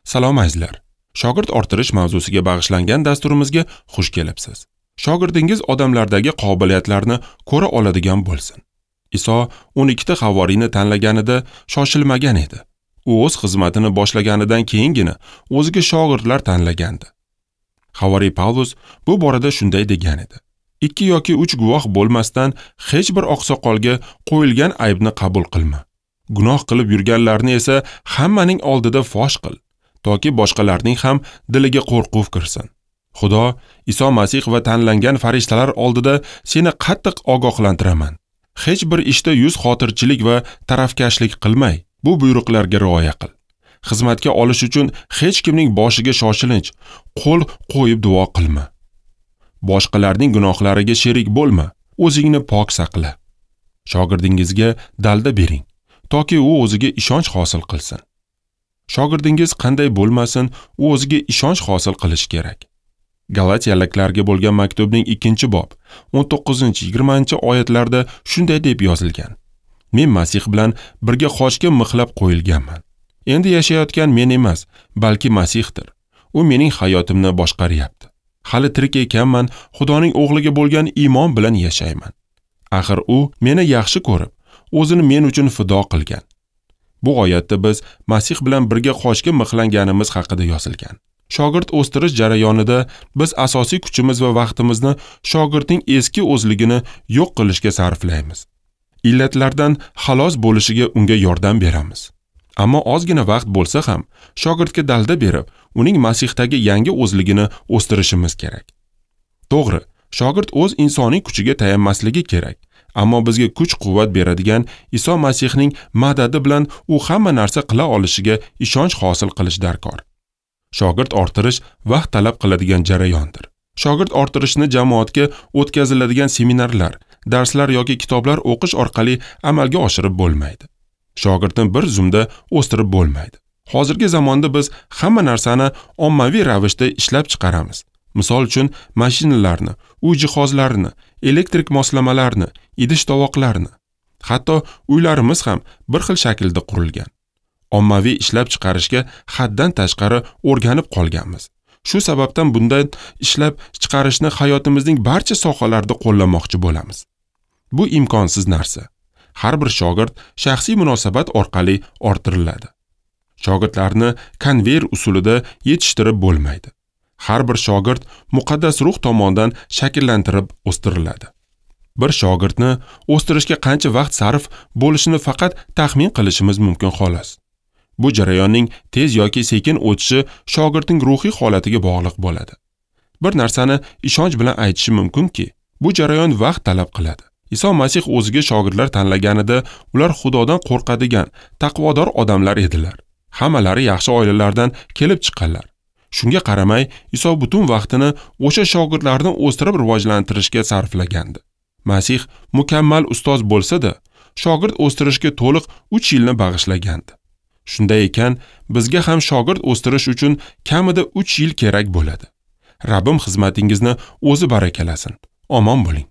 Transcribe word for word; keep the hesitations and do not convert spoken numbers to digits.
Salom azizlar. Shogird orttirish mavzusiga bag'ishlangan dasturimizga xush kelibsiz. Shogirdingiz odamlardagi qobiliyatlarni ko'ra oladigan bo'lsin. Iso o'n ikkita havoriyni tanlaganida shoshilmagan edi. U o'z xizmatini boshlaganidan keyingina o'ziga shogirdlar tanlagandi. Havoriy Pavlus bu borada shunday degan edi: ikki yoki uch guvoh bo'lmasdan hech bir oqsoqolga qo'yilgan aybni qabul qilma. Gunoh qilib yurganlarni esa hammaning oldida fosh qil, toki boshqalarning ham diliga qo'rquv kirsin. Xudo, Iso Masih va tanlangan farishtalar oldida seni qattiq ogohlantiraman. Hech bir ishda yuz xotirchilik va tarafkashlik qilmay, bu buyruqlarga rioya qil. Xizmatga olish uchun hech kimning boshiga shoshilinch qo'l qo'yib duo qilma. Boshqalarning gunohlariga sherik bo'lma, o'zingni pok saqla. Shogirdingizga dalda bering, toki u o'ziga ishonch hosil qilsin. Shogirdingiz qanday bo'lmasin, u o'ziga ishonch hosil qilishi kerak. Galatiyaliklarga bo'lgan maktubning ikkinchi bob o'n to'qqizinchi yigirmanchi oyatlarda shunday deb yozilgan: Men Masih bilan birga xochga mixlab qo'yilganman. Endi yashayotgan men emas, balki Masihdir. U mening hayotimni boshqaryapti. Hali tirik ekanman, Xudoning o'g'liga bo'lgan iymon bilan yashayman. Axir u meni yaxshi ko'rib, o'zini men uchun fido qilgan. Bu oyatda biz Masih bilan birga xochga mixlanganimiz haqida yozilgan. Shogird o'stirish jarayonida biz asosiy kuchimiz va vaqtimizni shogirdning eski o'zligini yo'q qilishga sarflaymiz. Illatlardan xalos bo'lishiga unga yordam beramiz. Ammo ozgina vaqt bo'lsa ham shogirdga dalda berib, uning Masihdagi yangi o'zligini o'stirishimiz kerak. To'g'ri, shogird o'z insoniy kuchiga tayanmasligi kerak. Ammo bizga kuch-quvvat beradigan Iso Masihning madadi bilan u hamma narsa qila olishiga ishonch hosil qilish darkor. Shogird orttirish vaqt talab qiladigan jarayondir. Shogird orttirishni jamoatga o'tkaziladigan seminarlar, darslar yoki kitoblar o'qish orqali amalga oshirib bo'lmaydi. Shogirdni bir zumda o'stirib bo'lmaydi. Hozirgi zamonda biz hamma narsani ommaviy ravishda ishlab chiqaramiz. Misol uchun, mashinalarni, uy jihozlarini, elektrik moslamalarni, idish-tovoqlarni. Hatto uylarimiz ham bir xil shaklda qurilgan. Ommaviy ishlab chiqarishga haddan tashqari o'rganib qolganmiz. Shu sababdan bundan ishlab chiqarishni hayotimizning barcha sohalarida qo'llamoqchi bo'lamiz. Bu imkonsiz narsa. Har bir shogird shaxsiy munosabat orqali orttiriladi. Shogirdlarni konveyer usulida yetishtirib bo'lmaydi. Har bir shogird muqaddas ruh tomonidan shakllantirib o'stiriladi. Bir shogirdni o'stirishga qancha vaqt sarf bo'lishini faqat taxmin qilishimiz mumkin xolos. Bu jarayonning tez yoki sekin o'tishi shogirdning ruhiy holatiga bog'liq bo'ladi. Bir narsani ishonch bilan aytishim mumkinki, bu jarayon vaqt talab qiladi. Iso Masih o'ziga shogirdlar tanlaganida ular Xudodan qo'rqadigan, taqvodor odamlar edilar. Hammalari yaxshi oilalardan kelib chiqqanlar. Shunga qaramay, Iso butun vaqtini o'sha shogirdlarni o'stirib rivojlantirishga sarflagandi. Masih mukammal ustoz bo'lsa-da, shogird o'stirishga to'liq uch yilni bag'ishlagandi. Shunday ekan, bizga ham shogird o'stirish uchun kamida uch yil kerak bo'ladi. Rabbim xizmatingizni o'zi barakalasin. Omon bo'ling.